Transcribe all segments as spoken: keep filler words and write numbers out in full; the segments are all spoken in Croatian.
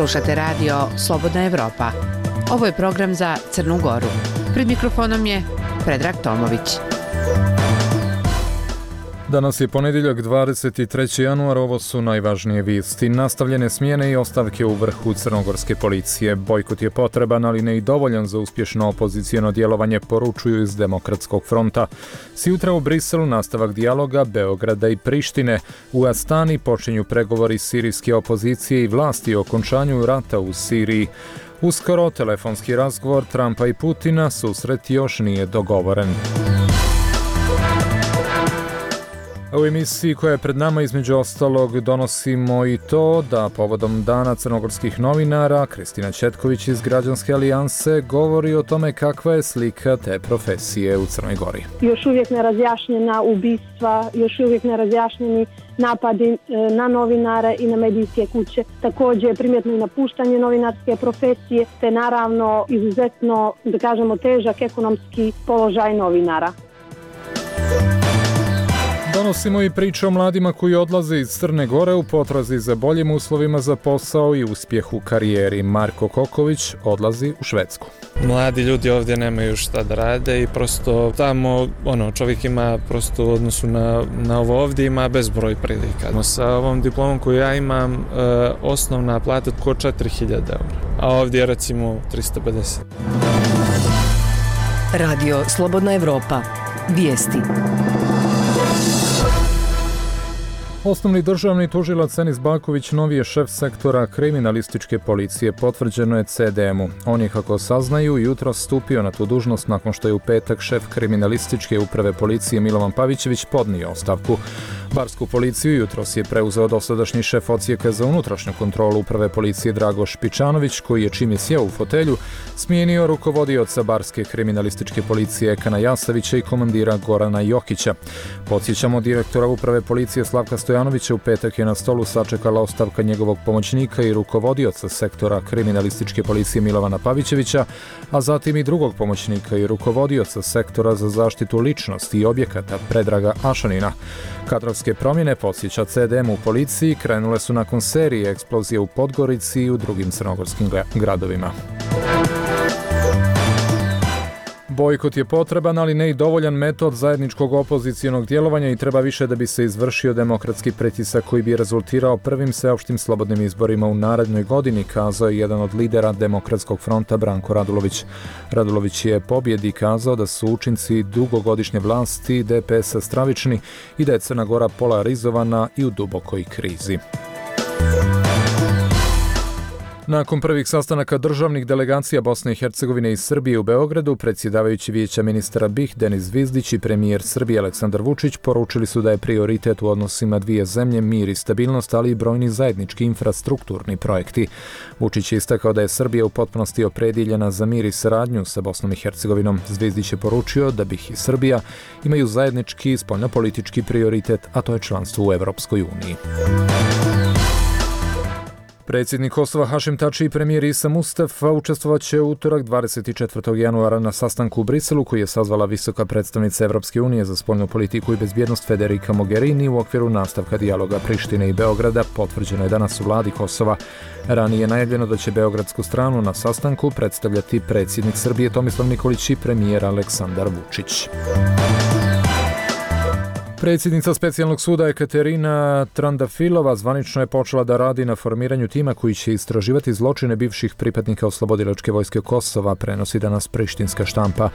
Slušate radio Slobodna Evropa. Ovo je program za Crnu Goru. Pred mikrofonom je Predrag Tomović. Danas je ponedjeljak dvadeset treći januar, ovo su najvažnije vijesti. Nastavljene smjene i ostavke u vrhu crnogorske policije. Bojkot je potreban, ali ne i dovoljan za uspješno opoziciono djelovanje, poručuju iz Demokratskog fronta. Sjutra u Briselu nastavak dijaloga Beograda i Prištine. U Astani počinju pregovori sirijske opozicije i vlasti o okončanju rata u Siriji. Uskoro telefonski razgovor Trumpa i Putina, susret još nije dogovoren. U emisiji koja je pred nama između ostalog donosimo i to da povodom Dana crnogorskih novinara Kristina Četković iz Građanske alijanse govori o tome kakva je slika te profesije u Crnoj Gori. Još uvijek nerazjašnjena ubistva, još uvijek nerazjašnjeni napadi na novinare i na medijske kuće. Također je primjetno i napuštanje novinarske profesije, te naravno izuzetno, da kažemo, težak ekonomski položaj novinara. Donosimo i priču o mladima koji odlaze iz Crne Gore u potrazi za boljim uslovima za posao i uspjeh u karijeri. Marko Koković odlazi u Švedsku. Mladi ljudi ovdje nemaju šta da rade i prosto tamo ono, čovjek ima prosto u odnosu na, na ovo ovdje ima bezbroj prilika. Sa ovom diplomom koju ja imam, e, osnovna plata oko četiri hiljade eura, a ovdje je recimo trista pedeset. Radio Slobodna Evropa. Vijesti. Osnovni državni tužilac Enis Baković novi je šef sektora kriminalističke policije, potvrđeno je C D M-u. On je, kako saznaju, jutros stupio na tu dužnost nakon što je u petak šef kriminalističke uprave policije Milovan Pavićević podnio ostavku. Barsku policiju jutros je preuzeo dosadašnji šef odsjeka za unutrašnju kontrolu uprave policije Drago Špičanović, koji je, čim je sjeo u fotelju, smijenio rukovodioca Barske kriminalističke policije Ekana Jasavića i komandira Gorana Jokića. Podsjećamo, direktora uprave policije Slavka Stojanovića u petak je na stolu sačekala ostavka njegovog pomoćnika i rukovodioca sektora kriminalističke policije Milovana Pavićevića, a zatim i drugog pomoćnika i rukovodioca sektora za zaštitu ličnosti i objekata Predraga Ašanina. Kadrovske promjene, podsjeća C D M u policiji, krenule su nakon serije eksplozije u Podgorici i u drugim crnogorskim gradovima. Bojkot je potreban, ali ne i dovoljan metod zajedničkog opozicionog djelovanja i treba više da bi se izvršio demokratski pritisak koji bi rezultirao prvim sveopštim slobodnim izborima u narednoj godini, kazao je jedan od lidera Demokratskog fronta Branko Radulović. Radulović je pobjedi kazao da su učinci dugogodišnje vlasti D P S-a stravični i da je Crna Gora polarizovana i u dubokoj krizi. Nakon prvih sastanaka državnih delegacija Bosne i Hercegovine i Srbije u Beogradu, predsjedavajući Vijeća ministara B i H Denis Zvizdić i premijer Srbije Aleksandar Vučić poručili su da je prioritet u odnosima dvije zemlje mir i stabilnost, ali i brojni zajednički infrastrukturni projekti. Vučić je istakao da je Srbija u potpunosti opredjeljena za mir i saradnju sa Bosnom i Hercegovinom. Zvizdić je poručio da B i H i Srbija imaju zajednički spoljnopolitički prioritet, a to je članstvo u Evropskoj uniji. Predsjednik Kosova Hašim Tači i premijer Isa Mustafa učestvovat će u utorak dvadeset četvrtog januara na sastanku u Briselu koji je sazvala visoka predstavnica Evropske unije za spoljnu politiku i bezbjednost Federica Mogherini u okviru nastavka dijaloga Prištine i Beograda, potvrđeno je danas u vladi Kosova. Ranije je najavljeno da će beogradsku stranu na sastanku predstavljati predsjednik Srbije Tomislav Nikolić i premijer Aleksandar Vučić. Predsjednica specijalnog suda Ekaterina Trandafilova zvanično je počela da radi na formiranju tima koji će istraživati zločine bivših pripadnika oslobodilačke vojske Kosova, prenosi danas prištinska štampa.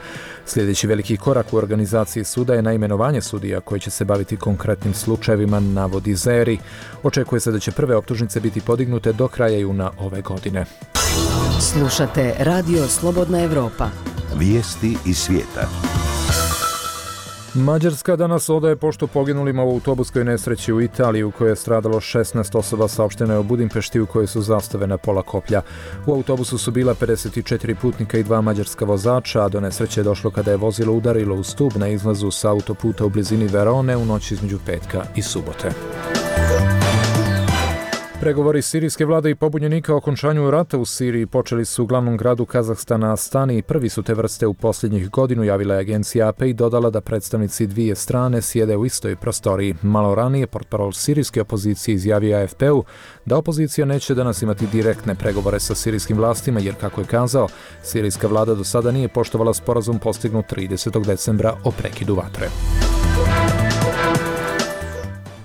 Sljedeći veliki korak u organizaciji suda je naimenovanje sudija koji će se baviti konkretnim slučajevima, navodi Zeri. Očekuje se da će prve optužnice biti podignute do kraja juna ove godine. Slušate Radio Slobodna Evropa. Vijesti iz svijeta. Mađarska danas odaje poštu poginulima u autobuskoj nesreći u Italiji u kojoj je stradalo šesnaest osoba, saopšteno je u Budimpešti u kojoj su zastave na pola koplja. U autobusu su bila pedeset četiri putnika i dva mađarska vozača, a do nesreće je došlo kada je vozilo udarilo u stub na izlazu sa autoputa u blizini Verone u noći između petka i subote. Pregovori sirijske vlade i pobunjenika o okončanju rata u Siriji počeli su u glavnom gradu Kazahstana Astani i prvi su te vrste u posljednjih godinu, javila je agencija A P i dodala da predstavnici dvije strane sjede u istoj prostoriji. Malo ranije portparol sirijske opozicije izjavio A F P-u da opozicija neće danas imati direktne pregovore sa sirijskim vlastima jer, kako je kazao, sirijska vlada do sada nije poštovala sporazum postignut tridesetog decembra o prekidu vatre.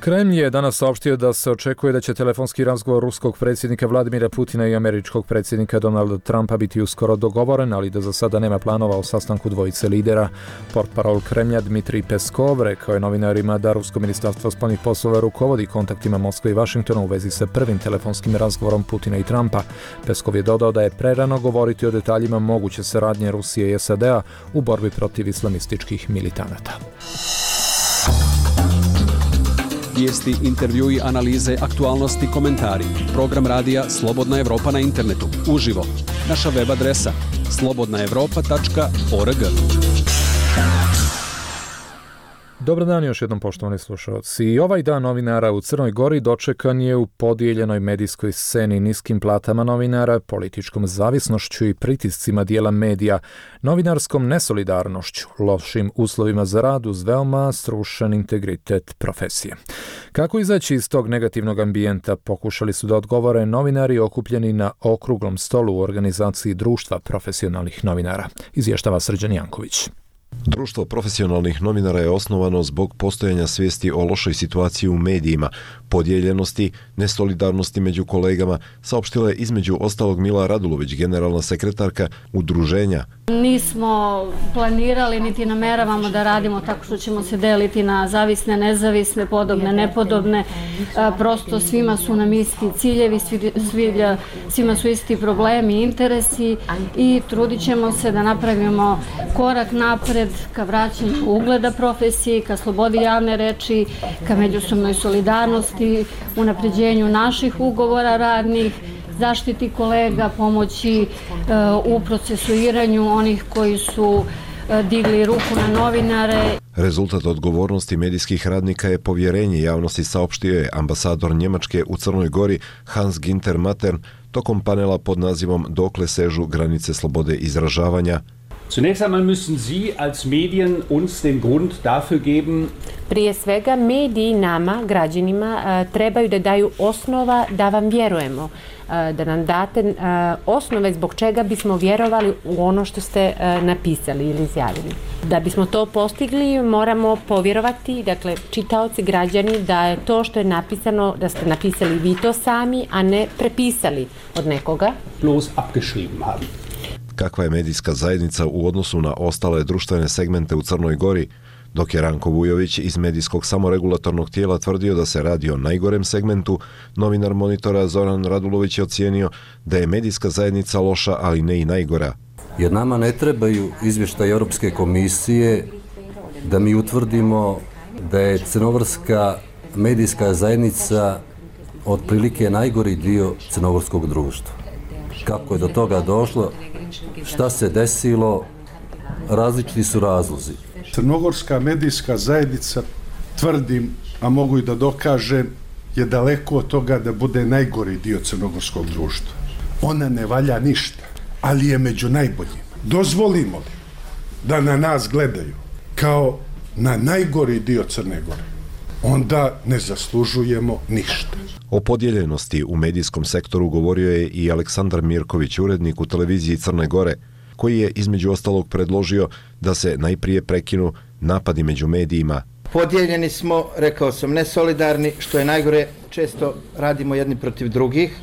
Kremlj je danas saopštio da se očekuje da će telefonski razgovor ruskog predsjednika Vladimira Putina i američkog predsjednika Donalda Trumpa biti uskoro dogovoren, ali da za sada nema planova o sastanku dvojice lidera. Portparol Kremlja Dmitrij Peskov rekao je novinarima da rusko ministarstvo spoljnih poslova rukovodi kontaktima Moskve i Vašingtona u vezi sa prvim telefonskim razgovorom Putina i Trumpa. Peskov je dodao da je prerano govoriti o detaljima moguće saradnje Rusije i S A D-a u borbi protiv islamističkih militanata. Vijesti, intervjui, analize, aktualnosti, komentari. Program radija Slobodna Evropa na internetu. Uživo. Naša web adresa slobodna evropa tačka org. Dobar dan još jednom, poštovani slušalci. I ovaj dan novinara u Crnoj Gori dočekan je u podijeljenoj medijskoj sceni, niskim platama novinara, političkom zavisnošću i pritiscima dijela medija, novinarskom nesolidarnošću, lošim uslovima za rad uz veoma srušen integritet profesije. Kako izaći iz tog negativnog ambijenta pokušali su da odgovore novinari okupljeni na okruglom stolu u organizaciji Društva profesionalnih novinara, izvještava Srđan Janković. Društvo profesionalnih novinara je osnovano zbog postojanja svijesti o lošoj situaciji u medijima, podijeljenosti, nesolidarnosti među kolegama, saopštila je između ostalog Mila Radulović, generalna sekretarka udruženja. Nismo planirali niti nameravamo da radimo tako što ćemo se deliti na zavisne, nezavisne, podobne, nepodobne. Prosto svima su nam isti ciljevi, svima su isti problemi i interesi i trudit ćemo se da napravimo korak napred ka vraćanju ugleda profesiji, ka slobodi javne reči, ka međusobnoj solidarnosti, unapređenju naših ugovora radnih, zaštiti kolega, pomoći uh, u procesuiranju onih koji su uh, digli ruku na novinare. Rezultat odgovornosti medijskih radnika je povjerenje javnosti, saopštio je ambasador Njemačke u Crnoj Gori Hans Ginter Matern tokom panela pod nazivom Dokle sežu granice slobode izražavanja. Zunächst einmal müssen Sie als Medien uns den Grund dafür geben. Prije svega mediji nama, građanima, trebaju da daju osnova da vam vjerujemo, da nam date osnove zbog čega bismo vjerovali u ono što ste napisali ili izjavili. Da bismo to postigli, moramo povjerovati, dakle, čitaoci, građani, da je to što je napisano, da ste napisali vi to sami, a ne prepisali od nekoga. Bloß abgeschrieben haben. Kakva je medijska zajednica u odnosu na ostale društvene segmente u Crnoj Gori, dok je Ranko Vujović iz medijskog samoregulatornog tijela tvrdio da se radi o najgorem segmentu, novinar Monitora Zoran Radulović je ocijenio da je medijska zajednica loša, ali ne i najgora. Jer nama ne trebaju izvještaj Europske komisije da mi utvrdimo da je crnogorska medijska zajednica otprilike najgori dio crnogorskog društva. Kako je do toga došlo, šta se desilo, različiti su razlozi. Crnogorska medijska zajednica, tvrdim, a mogu i da dokažem, je daleko od toga da bude najgori dio crnogorskog društva. Ona ne valja ništa, ali je među najboljim. Dozvolimo li da na nas gledaju kao na najgori dio Crne Gore, onda ne zaslužujemo ništa. O podijeljenosti u medijskom sektoru govorio je i Aleksandar Mirković, urednik u televiziji Crne Gore, koji je između ostalog predložio da se najprije prekinu napadi među medijima. Podijeljeni smo, rekao sam, nesolidarni, što je najgore, često radimo jedni protiv drugih.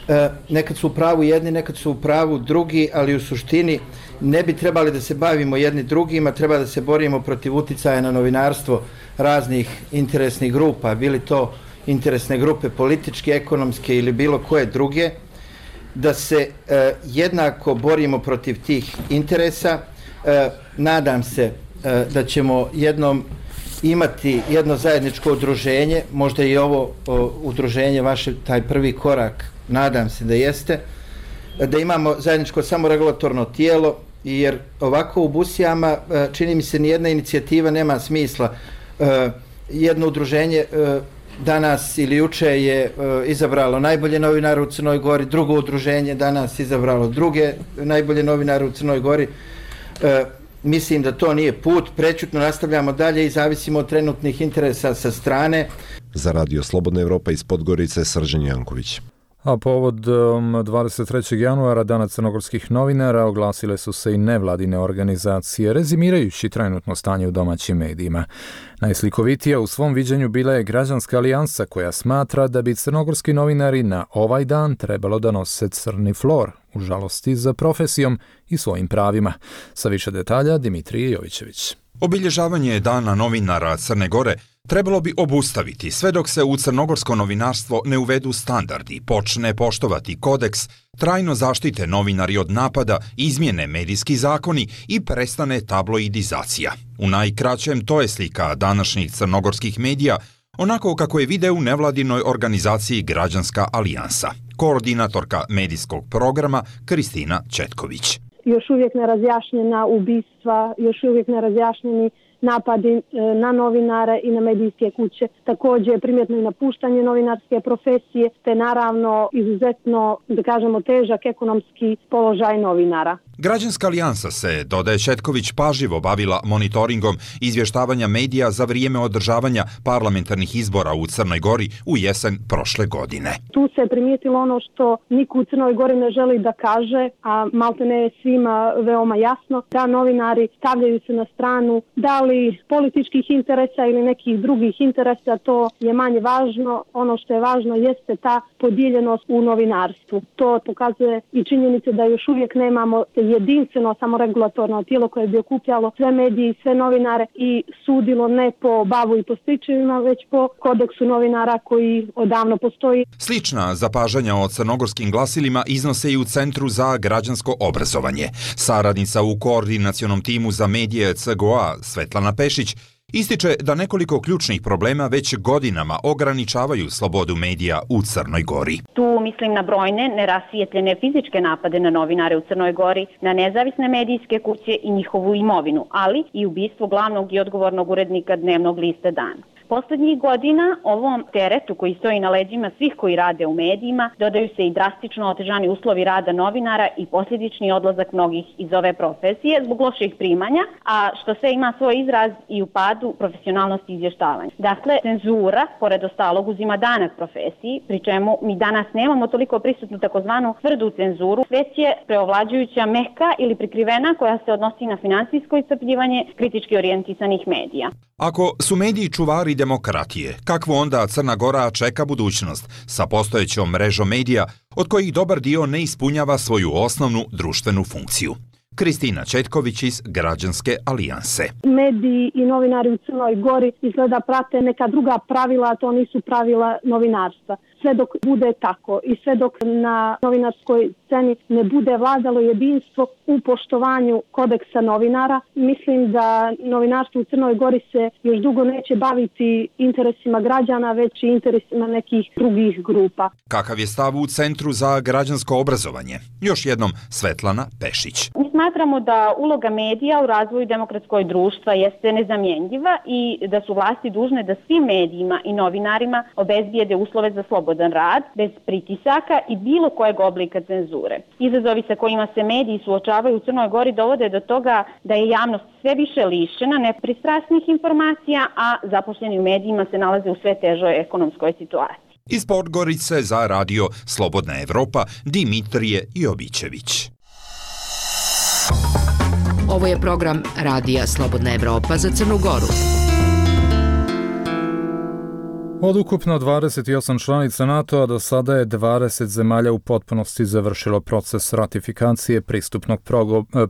E, nekad su u pravu jedni, nekad su u pravu drugi, ali u suštini ne bi trebali da se bavimo jedni drugima, treba da se borimo protiv uticaja na novinarstvo raznih interesnih grupa, bili to interesne grupe političke, ekonomske ili bilo koje druge, da se e, jednako borimo protiv tih interesa. E, nadam se e, da ćemo jednom imati jedno zajedničko udruženje, možda i ovo o, udruženje vaše, taj prvi korak, nadam se da jeste, da imamo zajedničko samoregulatorno tijelo, jer ovako u Busijama čini mi se nijedna inicijativa nema smisla. Jedno udruženje danas ili juče je izabralo najbolje novinare u Crnoj Gori, drugo udruženje danas izabralo druge najbolje novinare u Crnoj Gori. Mislim da to nije put, prećutno nastavljamo dalje i zavisimo od trenutnih interesa sa strane. Za Radio Slobodna Evropa iz Podgorice, Srđan Janković. A povodom dvadeset trećeg januara, Dana crnogorskih novinara, oglasile su se i nevladine organizacije, rezimirajući trenutno stanje u domaćim medijima. Najslikovitija u svom viđenju bila je Građanska alijansa, koja smatra da bi crnogorski novinari na ovaj dan trebalo da nose crni flor, u žalosti za profesijom i svojim pravima. Sa više detalja, Dimitrije Jovićević. Obilježavanje Dana novinara Crne Gore trebalo bi obustaviti sve dok se u crnogorsko novinarstvo ne uvedu standardi, počne poštovati kodeks, trajno zaštite novinari od napada, izmjene medijski zakoni i prestane tabloidizacija. U najkraćem to je slika današnjih crnogorskih medija, onako kako je vide u nevladinoj organizaciji Građanska alijansa. Koordinatorka medijskog programa Kristina Četković. Još uvijek nerazjašnjena ubistva, još uvijek nerazjašnjeni napadi na novinare i na medijske kuće. Također primjetno i napuštanje novinarske profesije, te naravno izuzetno, da kažemo, težak ekonomski položaj novinara. Građanska alijansa se, dodaje Četković, pažljivo bavila monitoringom izvještavanja medija za vrijeme održavanja parlamentarnih izbora u Crnoj Gori u jesen prošle godine. Tu se primijetilo ono što niko u Crnoj Gori ne želi da kaže, a maltene je svima veoma jasno, da novinari stavljaju se na stranu da li političkih interesa ili nekih drugih interesa, to je manje važno. Ono što je važno jeste ta podijeljenost u novinarstvu. To pokazuje i činjenice da još uvijek nemamo jedinstveno samoregulatorno tijelo koje bi okupljalo sve medije i sve novinare i sudilo ne po bavu i po stričevima, već po kodeksu novinara koji odavno postoji. Slična zapažanja o crnogorskim glasilima iznose i u Centru za građansko obrazovanje. Saradnica u koordinacionom timu za medije C G O A Svetlana Pešić ističe da nekoliko ključnih problema već godinama ograničavaju slobodu medija u Crnoj Gori. Tu mislim na brojne nerasvijetljene fizičke napade na novinare u Crnoj Gori, na nezavisne medijske kuće i njihovu imovinu, ali i ubistvo glavnog i odgovornog urednika dnevnog lista Dan. Poslednjih godina ovom teretu koji stoji na leđima svih koji rade u medijima dodaju se i drastično otežani uslovi rada novinara i posljedični odlazak mnogih iz ove profesije zbog loših primanja, a što sve ima svoj izraz i u padu profesionalnosti izvještavanja. Dakle, cenzura, pored ostalog, uzima danak profesiji, pri čemu mi danas nemamo toliko prisutnu takozvanu tvrdu cenzuru, već je preovlađujuća meka ili prikrivena koja se odnosi na finansijsko iscrpljivanje kritički orijentisanih medija. Ako su mediji čuvari demokratije, kakvu onda Crna Gora čeka budućnost sa postojećom mrežom medija od kojih dobar dio ne ispunjava svoju osnovnu društvenu funkciju? Kristina Četković iz Građanske alijanse. Mediji i novinari u Crnoj Gori izgleda prate neka druga pravila, a to nisu pravila novinarstva. Sve dok bude tako i sve dok na novinarskoj sceni ne bude vladalo jedinstvo u poštovanju kodeksa novinara, mislim da novinarstvo u Crnoj Gori se još dugo neće baviti interesima građana, već i interesima nekih drugih grupa. Kakav je stav u Centru za građansko obrazovanje? Još jednom Svetlana Pešić. Mi smatramo da uloga medija u razvoju demokratskog društva jeste nezamjenjiva i da su vlasti dužne da svim medijima i novinarima obezbijede uslove za slobodan rad, bez pritisaka i bilo kojeg oblika cenzure. Izazovi sa kojima se mediji suočavaju u Crnoj Gori dovode do toga da je javnost sve više lišena nepristrasnih informacija, a zaposleni u medijima se nalaze u sve težoj ekonomskoj situaciji. Iz Podgorice za Radio Slobodna Evropa, Dimitrije Jovićević. Ovo je program Radija Slobodna Evropa za Crnu Goru. Od ukupno dvadeset osam članica NATO-a do sada je dvadeset zemalja u potpunosti završilo proces ratifikacije pristupnog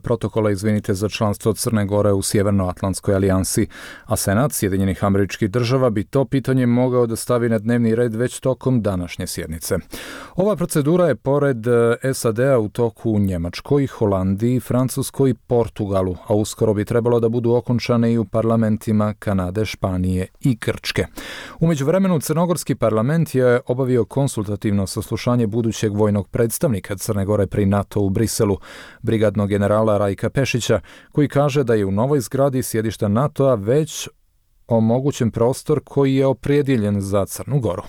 protokola izvinite za članstvo Crne Gore u Sjevernoatlantskoj alijansi, a Senat Sjedinjenih Američkih Država bi to pitanje mogao da stavi na dnevni red već tokom današnje sjednice. Ova procedura je pored S A D-a u toku u Njemačkoj, Holandiji, Francuskoj i Portugalu, a uskoro bi trebalo da budu okončane i u parlamentima Kanade, Španije i Grčke. Umeđu vremenu Crnogorski parlament je obavio konsultativno saslušanje budućeg vojnog predstavnika Crne Gore pri NATO u Briselu, brigadnog generala Rajka Pešića, koji kaže da je u novoj zgradi sjedišta NATO-a već omogućen prostor koji je opredjeljen za Crnu Goru.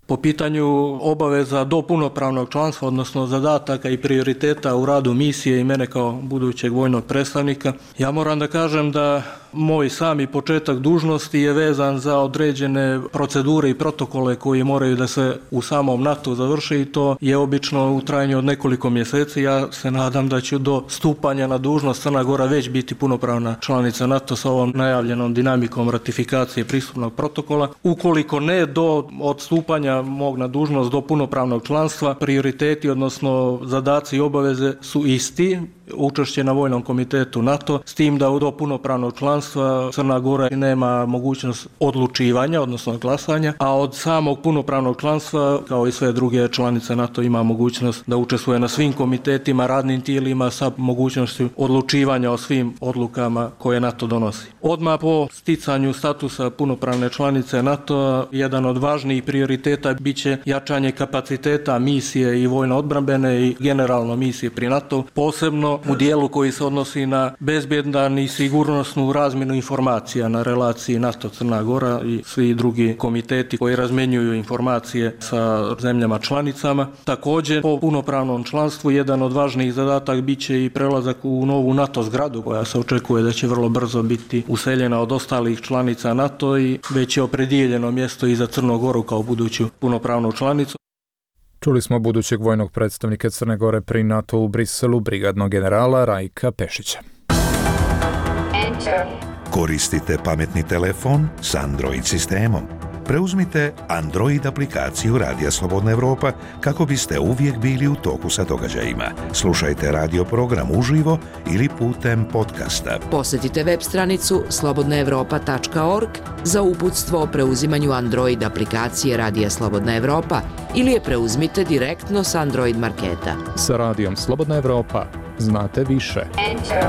Po pitanju obaveza do punopravnog članstva, odnosno zadataka i prioriteta u radu misije i mene kao budućeg vojnog predstavnika, ja moram da kažem da moj sami početak dužnosti je vezan za određene procedure i protokole koji moraju da se u samom NATO završe i to je obično u trajanju od nekoliko mjeseci. Ja se nadam da će do stupanja na dužnost Crna Gora već biti punopravna članica NATO sa ovom najavljenom dinamikom ratifikacije pristupnog protokola. Ukoliko ne, do odstupanja mog na dužnost do punopravnog članstva, prioriteti, odnosno zadaci i obaveze su isti. Učešće na vojnom komitetu NATO, s tim da do punopravnog članstva Crna Gora nema mogućnost odlučivanja, odnosno glasanja, a od samog punopravnog članstva, kao i sve druge članice NATO, ima mogućnost da učestvuje na svim komitetima, radnim tijelima sa mogućnošću odlučivanja o svim odlukama koje NATO donosi. Odmah po sticanju statusa punopravne članice NATO, jedan od važnijih prioriteta biće jačanje kapaciteta misije i vojno-odbrambene i generalno misije pri NATO, posebno u dijelu koji se odnosi na bezbjedan i sigurnosnu razmjenu informacija na relaciji NATO-Crna Gora i svi drugi komiteti koji razmenjuju informacije sa zemljama članicama. Također, po punopravnom članstvu jedan od važnijih zadataka biće i prelazak u novu NATO zgradu koja se očekuje da će vrlo brzo biti useljena od ostalih članica NATO i već je opredijeljeno mjesto i za Crnu Goru kao buduću punopravnu članicu. Čuli smo budućeg vojnog predstavnika Crne Gore pri NATO u Briselu, brigadnog generala Rajka Pešića. Koristite pametni telefon s Android sistemom. Preuzmite Android aplikaciju Radija Slobodna Evropa kako biste uvijek bili u toku sa događajima. Slušajte radio program uživo ili putem podcasta. Posjetite web stranicu slobodna evropa tačka org za uputstvo o preuzimanju Android aplikacije Radija Slobodna Evropa ili je preuzmite direktno s Android marketa. Sa Radijom Slobodna Evropa znate više. Enter.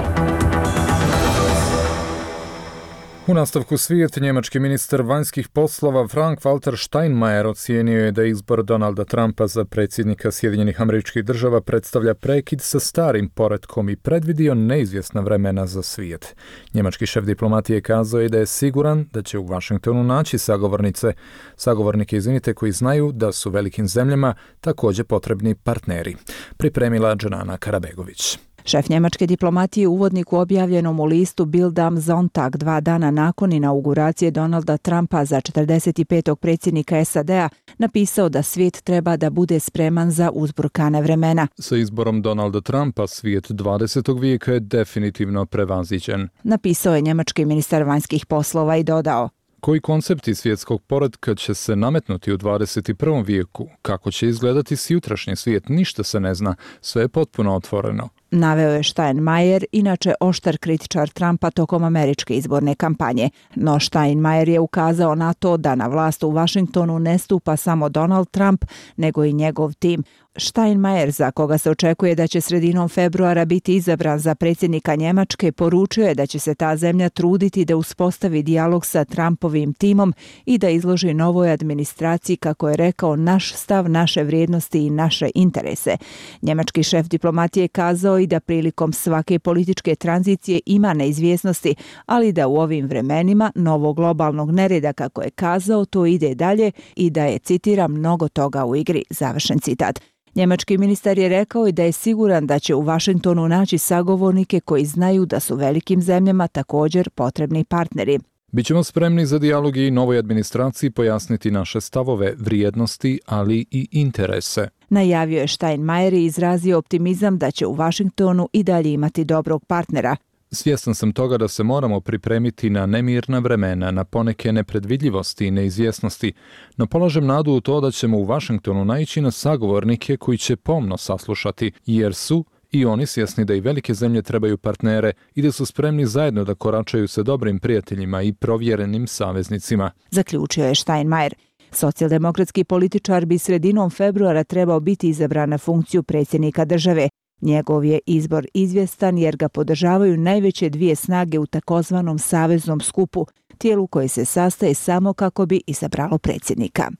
U nastavku svijet, njemački ministar vanjskih poslova Frank-Walter Steinmeier ocijenio je da izbor Donalda Trumpa za predsjednika Sjedinjenih Američkih Država predstavlja prekid sa starim poretkom i predvidio neizvjesna vremena za svijet. Njemački šef diplomatije kazao je da je siguran da će u Vašingtonu naći sagovornice, sagovornike izvinite koji znaju da su velikim zemljama također potrebni partneri. Pripremila Džanana Karabegović. Šef njemačke diplomatije u uvodniku objavljenom u listu Bild am Sonntag dva dana nakon inauguracije Donalda Trumpa za četrdeset petog predsjednika S A D-a napisao da svijet treba da bude spreman za uzburkane vremena. Sa izborom Donalda Trumpa svijet dvadesetog vijeka je definitivno prevaziđen. Napisao je njemački ministar vanjskih poslova i dodao: koji koncepti svjetskog poretka će se nametnuti u dvadeset prvom vijeku? Kako će izgledati sutrašnji svijet? Ništa se ne zna. Sve je potpuno otvoreno. Naveo je Steinmeier, inače oštar kritičar Trumpa tokom američke izborne kampanje. No Steinmeier je ukazao na to da na vlast u Vašingtonu ne stupa samo Donald Trump, nego i njegov tim. Steinmeier, za koga se očekuje da će sredinom februara biti izabran za predsjednika Njemačke, poručio je da će se ta zemlja truditi da uspostavi dijalog sa Trumpovim timom i da izloži novoj administraciji, kako je rekao, naš stav, naše vrijednosti i naše interese. Njemački šef diplomatije kazao i da prilikom svake političke tranzicije ima neizvjesnosti, ali da u ovim vremenima novog globalnog nereda, kako je kazao, to ide dalje i da je, citiram, mnogo toga u igri, završen citat. Njemački ministar je rekao i da je siguran da će u Vašingtonu naći sagovornike koji znaju da su velikim zemljama također potrebni partneri. Bićemo spremni za dijalog i novoj administraciji pojasniti naše stavove, vrijednosti, ali i interese. Najavio je Steinmeier i izrazio optimizam da će u Vašingtonu i dalje imati dobrog partnera. Svjestan sam toga da se moramo pripremiti na nemirna vremena, na poneke nepredvidljivosti i neizvjesnosti, no polažem nadu u to da ćemo u Vašingtonu naići na sagovornike koji će pomno saslušati, jer su i oni svjesni da i velike zemlje trebaju partnere i da su spremni zajedno da koračaju sa dobrim prijateljima i provjerenim saveznicima. Zaključio je Steinmeier. Socijaldemokratski političar bi sredinom februara trebao biti izabran na funkciju predsjednika države. Njegov je izbor izvjestan jer ga podržavaju najveće dvije snage u takozvanom saveznom skupu, tijelu koje se sastaje samo kako bi izabralo predsjednika.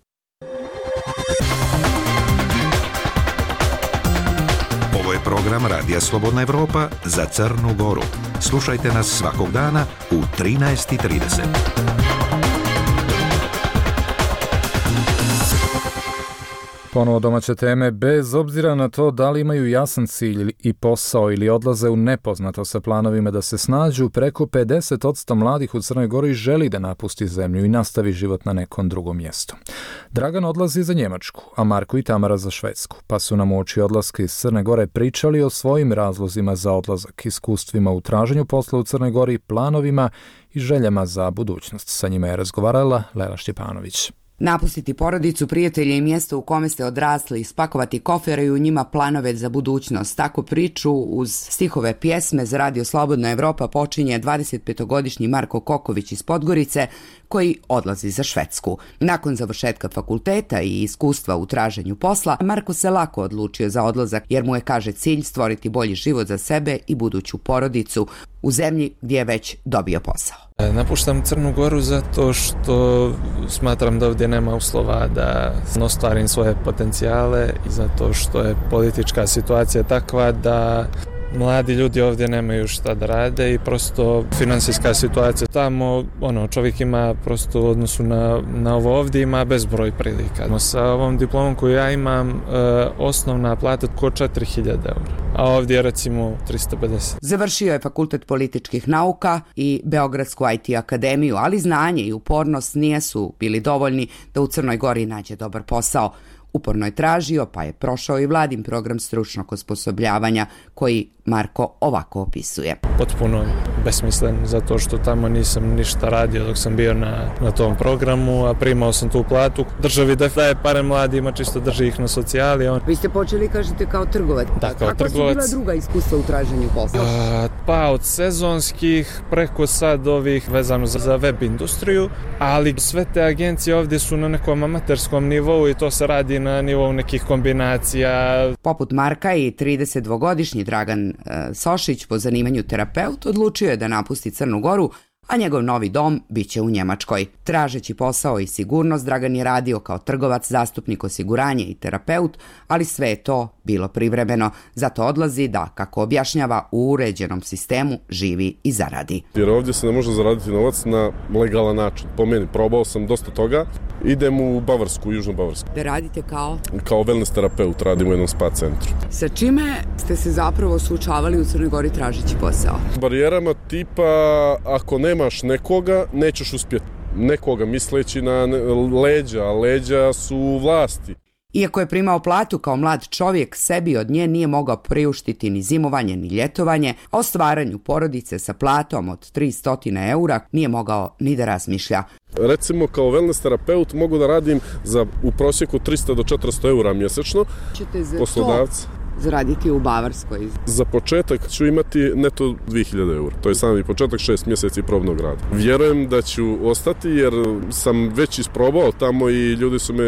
Ovo je program Radija Slobodna Evropa za Crnu Goru. Slušajte nas svakog dana u trinaest i trideset. Ponovo domaće teme, bez obzira na to da li imaju jasan cilj i posao ili odlaze u nepoznato sa planovima da se snađu, preko pedeset posto mladih u Crnoj Gori želi da napusti zemlju i nastavi život na nekom drugom mjestu. Dragan odlazi za Njemačku, a Marko i Tamara za Švedsku, pa su nam uoči odlaska iz Crne Gore pričali o svojim razlozima za odlazak, iskustvima u traženju posla u Crnoj Gori, planovima i željama za budućnost. Sa njima je razgovarala Lela Štjepanović. Napustiti porodicu, prijatelje i mjesto u kome ste odrasli, spakovati kofere i u njima planove za budućnost. Tako priču uz stihove pjesme za Radio Slobodna Evropa počinje dvadesetpetogodišnji Marko Koković iz Podgorice, koji odlazi za Švedsku. Nakon završetka fakulteta i iskustva u traženju posla, Marko se lako odlučio za odlazak jer mu je, kaže, cilj stvoriti bolji život za sebe i buduću porodicu u zemlji gdje je već dobio posao. Napuštam Crnu Goru zato što smatram da ovdje nema uslova da ostvarim svoje potencijale i zato što je politička situacija takva da mladi ljudi ovdje nemaju šta da rade i prosto finansijska situacija tamo, ono, čovjek ima prosto u odnosu na, na ovo ovdje ima bezbroj prilika. Sa ovom diplomom koju ja imam, e, osnovna plata oko četiri hiljade eura, a ovdje je recimo tristo pedeset. Završio je Fakultet političkih nauka i Beogradsku I T akademiju, ali znanje i upornost nisu bili dovoljni da u Crnoj Gori nađe dobar posao. Uporno je tražio, pa je prošao i vladin program stručnog osposobljavanja koji Marko ovako opisuje. Potpuno besmislen, zato što tamo nisam ništa radio dok sam bio na, na tom programu, a primao sam tu platu. Državi da daje pare mladima, čisto drži ih na socijali. On... Vi ste počeli, kažete, kao trgovac. Da, kao Kako trgovac. Kako su bila druga iskustva u traženju posla? A, pa od sezonskih preko sad ovih vezano za, za web industriju, ali sve te agencije ovdje su na nekom amaterskom nivou i to se radi na nivou nekih kombinacija. Poput Marka i tridesetdvogodišnji Dragan Sošić, po zanimanju terapeut, odlučio je da napusti Crnu Goru, a njegov novi dom biće u Njemačkoj. Tražeći posao i sigurnost, Dragan je radio kao trgovac, zastupnik osiguranja i terapeut, ali sve je to bilo privremeno. Zato odlazi da, kako objašnjava, u uređenom sistemu živi i zaradi. Jer ovdje se ne može zaraditi novac na legalan način. Po meni, probao sam dosta toga. Idem u Bavarsku, u Južnu Bavarsku. Da radite kao? Kao wellness terapeut, radim u jednom spa centru. Sa čime ste se zapravo suočavali u Crnoj Gori tražeći posao? Barijerama tipa, ako nemaš nekoga, nećeš uspjeti. Nekoga misleći na leđa, a leđa su vlasti. Iako je primao platu kao mlad čovjek, sebi od nje nije mogao priuštiti ni zimovanje ni ljetovanje, a o stvaranju porodice sa platom od tristo eura nije mogao ni da razmišlja. Recimo kao wellness terapeut mogu da radim za u prosjeku tristo do četiristo eura mjesečno. Ćete za poslodavci to zaraditi u Bavarskoj? Za početak ću imati neto dvije hiljade eura. To je sami početak, šest mjeseci probnog rada. Vjerujem da ću ostati jer sam već isprobao tamo i ljudi su me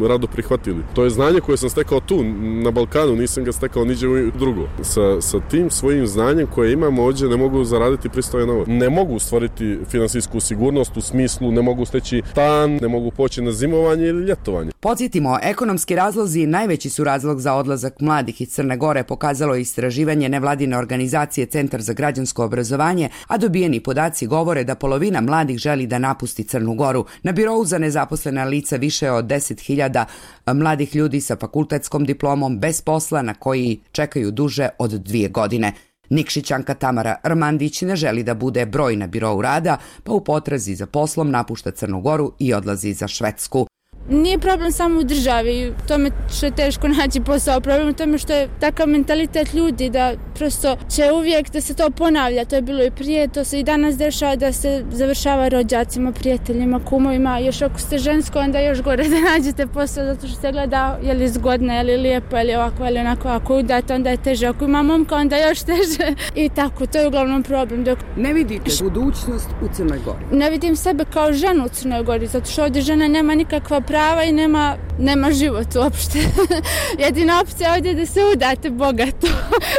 rado prihvatili. To je znanje koje sam stekao tu, na Balkanu, nisam ga stekao niđe drugo. Sa, sa tim svojim znanjem koje imam ovdje ne mogu zaraditi pristojan novac. Ne mogu stvoriti finansijsku sigurnost u smislu, ne mogu steći stan, ne mogu poći na zimovanje ili ljetovanje. Podsjetimo, ekonomski razlozi najveći su razlog za odlazak mladih iz Crne Gore, pokazalo je istraživanje nevladine organizacije Centar za građansko obrazovanje, a dobijeni podaci govore da polovina mladih želi da napusti Crnu Goru. Na birou za nezaposlena lica više od deset hiljada mladih ljudi sa fakultetskom diplomom bez posla na koji čekaju duže od dvije godine. Nikšićanka Tamara Rmandić ne želi da bude broj na birou rada, pa u potrazi za poslom napušta Crnu Goru i odlazi za Švedsku. Nije problem samo u državi, tome što je teško naći posao, problem u tome što je takav mentalitet ljudi da prosto će uvijek da se to ponavlja, to je bilo i prije, to se i danas dešava da se završava rođacima, prijateljima, kumovima, još ako ste žensko onda još gore da nađete posao zato što se gleda je li zgodno, je li lijepo, je li ovako, je li onako, ako udate onda je teže, ako ima momka onda još teže i tako, to je uglavnom problem. Dok... Ne vidite budućnost u Crnoj Gori? Ne vidim sebe kao ženu u Crnoj Gori, zato što ovdje žena nema nikakva prava prava i nema, nema život uopšte. Jedina opcija ovdje je da se udate bogato.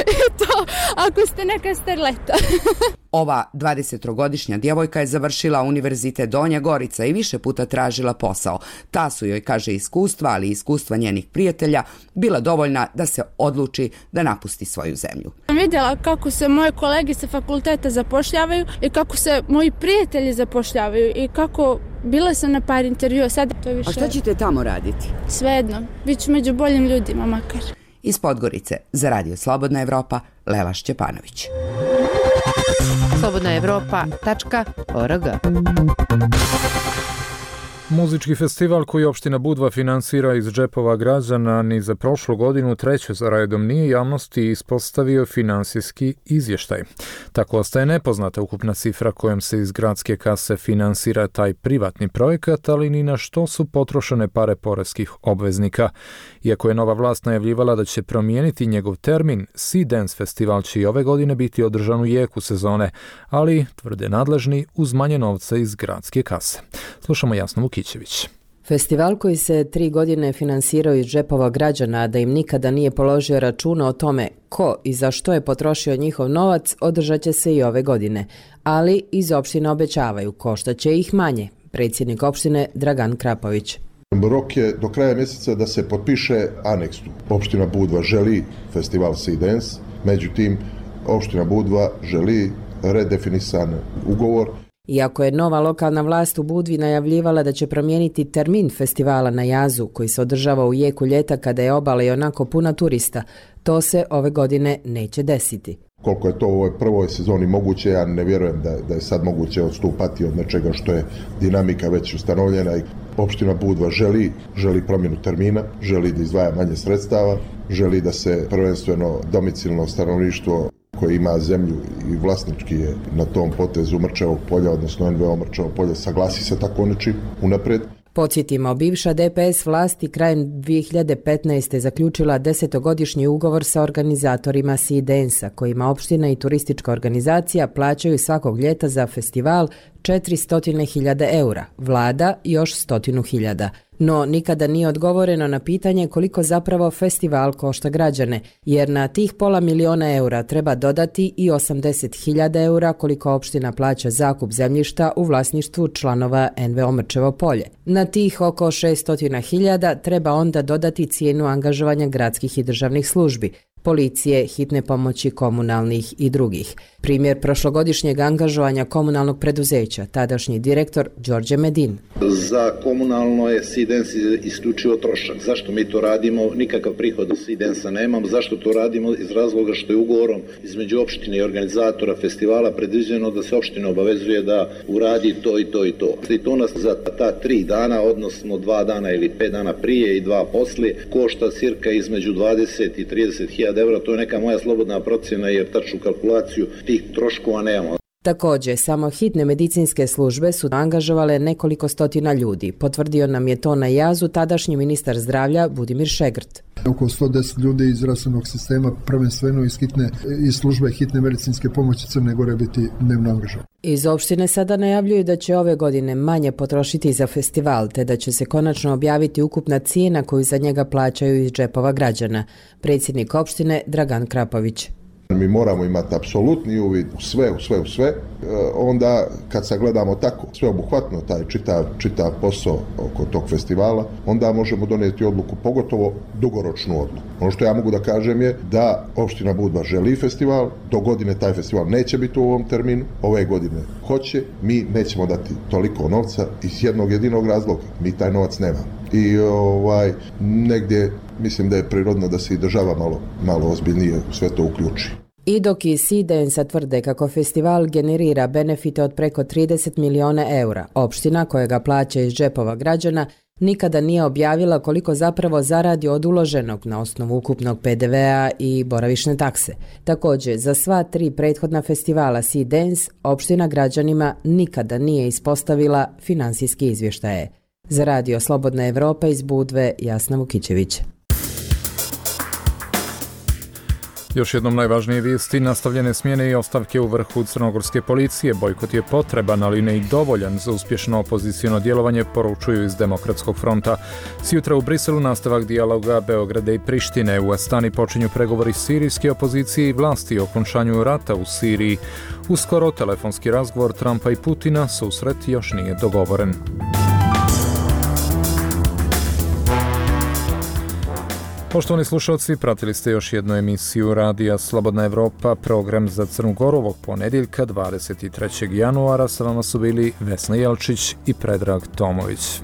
I to ako ste neka starleta. Ova dvadesettrogodišnja djevojka je završila Univerzitet Donja Gorica i više puta tražila posao. Ta su joj, kaže, iskustva, ali i iskustva njenih prijatelja, bila dovoljna da se odluči da napusti svoju zemlju. Sam vidjela kako se moje kolege sa fakulteta zapošljavaju i kako se moji prijatelji zapošljavaju i kako bila sam na par intervjua. Sad to više... A šta ćete tamo raditi? Svejedno, bit ću među boljim ljudima makar. Iz Podgorice za Radio Slobodna Evropa, Lela Šćepanović. slobodna evropa tačka org. Muzički festival koji opština Budva finansira iz džepova građana ni za prošlu godinu treću za redom nije javnosti ispostavio finansijski izvještaj. Tako ostaje nepoznata ukupna cifra kojom se iz gradske kase finansira taj privatni projekat, ali ni na što su potrošene pare poreskih obveznika. Iako je nova vlast najavljivala da će promijeniti njegov termin, Sea Dance festival će i ove godine biti održan u jeku sezone, ali, tvrde nadležni, uz manje novca iz gradske kase. Slušamo Jasnu Vukićević. Festival koji se tri godine finansirao iz džepova građana, da im nikada nije položio računa o tome ko i za što je potrošio njihov novac, održat će se i ove godine. Ali iz opštine obećavaju, koštaće ih manje. Predsjednik opštine Dragan Krapović. Rok je do kraja mjeseca da se potpiše aneks. Opština Budva želi festival Sea Dance, međutim, opština Budva želi redefinisan ugovor. Iako je nova lokalna vlast u Budvi najavljivala da će promijeniti termin festivala na Jazu, koji se održava u jeku ljeta kada je obala i onako puna turista, to se ove godine neće desiti. Koliko je to u ovoj prvoj sezoni moguće, ja ne vjerujem da, da je sad moguće odstupati od nečega što je dinamika već ustanovljena. I opština Budva želi, želi promjenu termina, želi da izdvaja manje sredstava, želi da se prvenstveno domicilno stanovništvo koje ima zemlju i vlasnički je na tom potezu Mrčevog polja, odnosno en ve o Mrčevog polja, saglasi se tako nečim unaprijed. Podsjetimo, bivša de pe es vlasti krajem dvije hiljade petnaeste. zaključila desetogodišnji ugovor sa organizatorima Sea Dance-a, kojima opština i turistička organizacija plaćaju svakog ljeta za festival četiristo hiljada eura, vlada još stotinu hiljada. No, nikada nije odgovoreno na pitanje koliko zapravo festival košta građane, jer na tih pola miliona eura treba dodati i osamdeset hiljada eura koliko opština plaća zakup zemljišta u vlasništvu članova en ve o Mrčevo polje. Na tih oko šesto hiljada treba onda dodati cijenu angažovanja gradskih i državnih službi, policije, hitne pomoći, komunalnih i drugih. Primjer prošlogodišnjeg angažovanja komunalnog preduzeća, tadašnji direktor Đorđe Medin. Za komunalno je Sea Dance isključivo trošak. Zašto mi to radimo? Nikakav prihod od Sea Dance-a nemamo. Zašto to radimo? Iz razloga što je ugovorom između opštine i organizatora festivala predviđeno da se opština obavezuje da uradi to i to i to. I to nas za ta tri dana, odnosno dva dana ili pet dana prije i dva poslije, košta cirka između dvadeset i trideset hiljada eura. To je neka moja slobodna procjena jer tačnu kalkulaciju tih troškova nemamo. Također, samo hitne medicinske službe su angažovale nekoliko stotina ljudi. Potvrdio nam je to na Jazu tadašnji ministar zdravlja Budimir Šegrt. Oko sto deset ljudi iz zdravstvenog sistema, prvenstveno iz, hitne, iz službe hitne medicinske pomoći Crne Gore biti dnevno angažovani. Iz opštine sada najavljuju da će ove godine manje potrošiti za festival, te da će se konačno objaviti ukupna cijena koju za njega plaćaju iz džepova građana. Predsjednik opštine Dragan Krapović. Mi moramo imati apsolutni uvid u sve, u sve, u sve. E, onda kad sagledamo tako sveobuhvatno taj čitav, čitav posao oko tog festivala, onda možemo donijeti odluku, pogotovo dugoročnu odluku. Ono što ja mogu da kažem je da opština Budva želi festival, do godine taj festival neće biti u ovom terminu, ove godine hoće, mi nećemo dati toliko novca iz jednog jedinog razloga, mi taj novac nemamo. I ovaj, negdje mislim da je prirodno da se i država malo, malo ozbiljnije sve to uključi. I dok i Sea Dance tvrde kako festival generira benefite od preko trideset miliona eura, opština koja ga plaća iz džepova građana nikada nije objavila koliko zapravo zaradi od uloženog na osnovu ukupnog pe de vea i boravišne takse. Također, za sva tri prethodna festivala Sea Dance, opština građanima nikada nije ispostavila finansijski izvještaje. Za Radio Slobodna Evropa iz Budve, Jasna Vukićević. Još jednom najvažnije vijesti, nastavljene smjene i ostavke u vrhu crnogorske policije. Bojkot je potreban, ali ne i dovoljan za uspješno opoziciono djelovanje, poručuju iz Demokratskog fronta. Sjutra u Briselu nastavak dijaloga Beograda i Prištine. U Astani počinju pregovori sirijske opozicije i vlasti o okončanju rata u Siriji. Uskoro telefonski razgovor Trumpa i Putina, susret još nije dogovoren. Poštovani slušalci, pratili ste još jednu emisiju Radija Slobodna Evropa, program za Crnu Goru ovog ponedjeljka dvadeset trećeg januara. Sa vama su bili Vesna Jelčić i Predrag Tomović.